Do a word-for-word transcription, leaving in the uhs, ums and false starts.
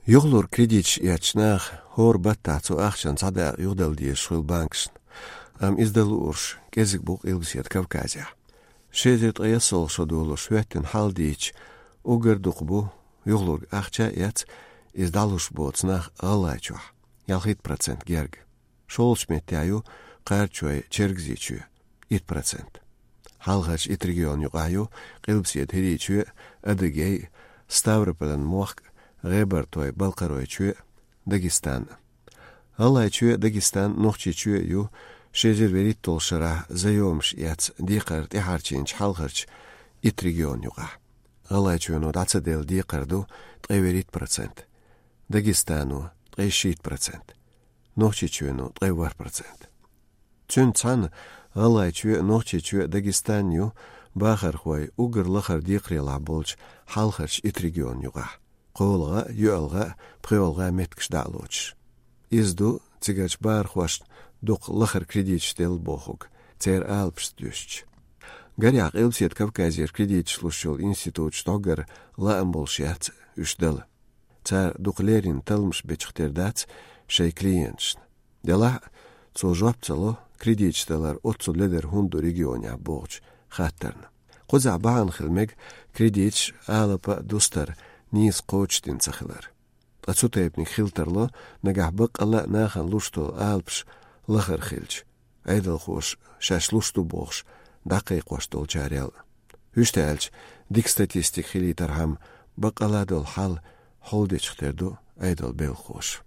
Юхалург кредиташ эцначу наха хӀора баттахь цу ахчанна цхьа дакъа юхадала дезаш хуьлу банкашна. Амма иза дан луурш кӀезиг бу Къилбаседа Кавказехь. Ши эзар ткъаесналгӀа шо долуш хӀоьттина хьал дийцича, уггар дукха бу юхалург ахча а эцна, иза дӀалуш боцу нах ГӀалгӀайчохь, ялхитта процент герга. ШолгӀачу меттехь ю Кхарачой, Чергазийчоь, итт процент. Хьалхарчу итт регион юкъахь ю Къилбаседа ХӀирийчоь, Адыгей, Ставрополан мохк, ГӀебартой, Балкхаройчоь, Дагестан. ГӀалгӀайчоь, Дагестан, Нохчийчоь ю ши эзар вуьрхӀитталгӀачу шарахь заемаш эцна декхар тӀехьарчийначу хьалхарчу итт регион юкъахь. ГӀалгӀайчоьно дӀа ца делла декхар ду ткъе вуьрхӀитта процент, Дагестано — ткъе шийтта процент, Нохчийчоьно — ткъе ворхӀ процент. Цуьнца цхьаьна ГӀалгӀайчоь, Нохчийчоь, Дагестан ю бахархой уггар лахара декхарехь болчу хьалхарчу итт регион юкъахь, кхоалгӀа а, йоьалгӀа а, пхоьалгӀа а меттигаш дӀа а лоцуш. Иза ду цигарчу бахархошна дукха лахара кредиташ делла бохург, церан алапашца дуьстича. Гарехь, Къилбаседа Кавказера кредиташ луш йолу институташ дӀоггара лаам болуш яц уьш дала. Цара дукха леррина талламаш бечух тера дац шайн клиенташна. Делахь а, цо жоп ца ло кредиташ далар оццул ледара хӀунда ду регионехь бохучу хаттарна. Кхузахь бахьана хила мега кредиташ, алапа а, дустар а нийса кхочушдина ца хилар. Ткъа цу тайпаниг хила тарло, нагахь баккъалла а нахана луш долу алапаш лахара хилча, Ӏедалхоша шаьш луш ду бохуш дӀакхайкхош долчарел. Вуьшта аьлча, дика статистика хилийтархьама, баккъалла долу хьал хьулдечух тера ду Ӏедалан белхахоша.